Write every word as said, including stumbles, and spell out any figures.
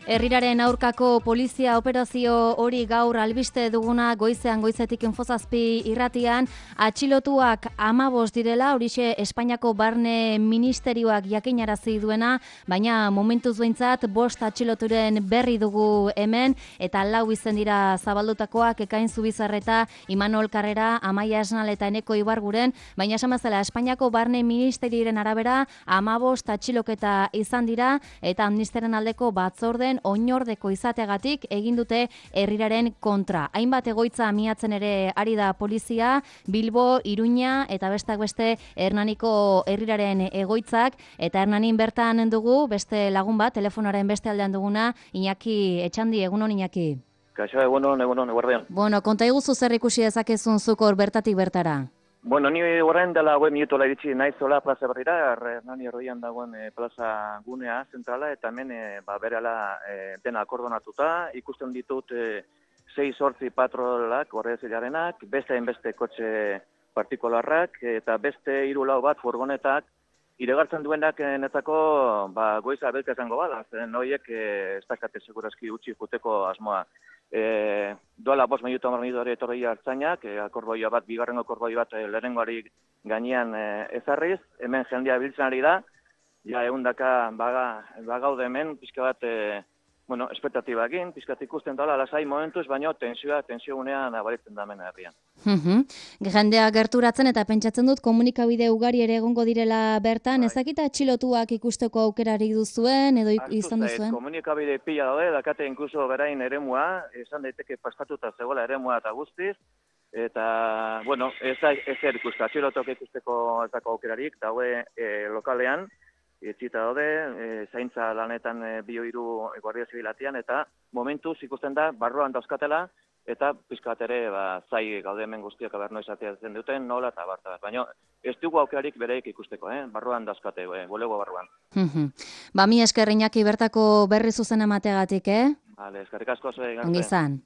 Herriraren aurkako polizia operazio hori gaur albiste duguna goizean goizetik infozazpi irratian, atxilotuak hamabost direla, horixe Espainiako Barne Ministerioak jakinarazi duena, baina momentuz behintzat bost atxiloturen berri dugu hemen, eta lau izen dira zabaldutakoak Ekain Zubizarreta, Imanol Karrera, Amaia Esnal eta Eneko Ibarguren, baina esan bezala Espainiako Barne Ministerioaren arabera hamabost atxiloketa izan dira, eta amnistiaren aldeko batzorden oinordeko izateagatik egin dute herriraren kontra. Hainbat egoitza miatzen ere ari da polizia, Bilbo, Iruña eta bestak beste Hernaniko herriraren egoitzak, eta Hernanin bertan dugu beste lagun bat, telefonaren beste aldean duguna, Iñaki Etxandi, egunon Iñaki. Kaixo, egunon, egunon, eguardean. Bueno, konta iguzu zer ikusi dezakezun zukor bertatik bertara? Bueno, ni horrein dela hue minutola iritsi naizola plaza berrira, Hernani erroian dagoen e, plaza gunea zentrala, eta hemen e, ba, berela e, dena akordonatuta, ikusten ditut e, sei sortzi patrolak, horrezilarenak, beste hainbeste kotxe partikularrak, eta beste hiru lau bat furgonetak, iregartzen duenak netzako ba, goiza belka izango bada, zen horiek e, ez dakate segurazki utzi juteko asmoa. E, doala bost minuto hamar minutu etorri hartzainak, e, akorboia bat, bigarrengo akorboia bat e, lehenengoari gainean e, ezarriz, hemen jendea biltzen ari da, ja ehundaka baga, bagaude hemen, pixka bat, e, bueno, espektatibakin, pixka bat ikusten dela, lasai momentuz, baina tensioa, tensio gunean abaritzen da hemen herrian. Uh-huh. Jendea gerturatzen eta pentsatzen dut komunikabide ugari ere egongo direla bertan, bai. Ezakita atxilotuak ikusteko aukerarik duzuen edo izan duzuen? Komunikabide pila daude, dakate inkluso berain eremua, esan daiteke pastatuta zegoela eremua eta guztiz, eta, bueno, ez da ezer ikuste, atxilotuak ikusteko ezako aukerarik, daue e, lokalean, etxita daude, e, zaintza lanetan e, bio hiru Guardia Zibilatian, eta momentuz ikusten da, barruan dauzkatela, eta pizkat ere ba, zai gaude hemen guztiak aberno izateatzen duten, nola eta barta bat. Baina ez dugu aukerarik bereik ikusteko, eh? Barruan dauzkate, eh? Bulego barruan. Ba, mi esker Iñaki bertako berri zuzen emateagatik, eh? Vale, eskerrik asko zuen. Ongi izan.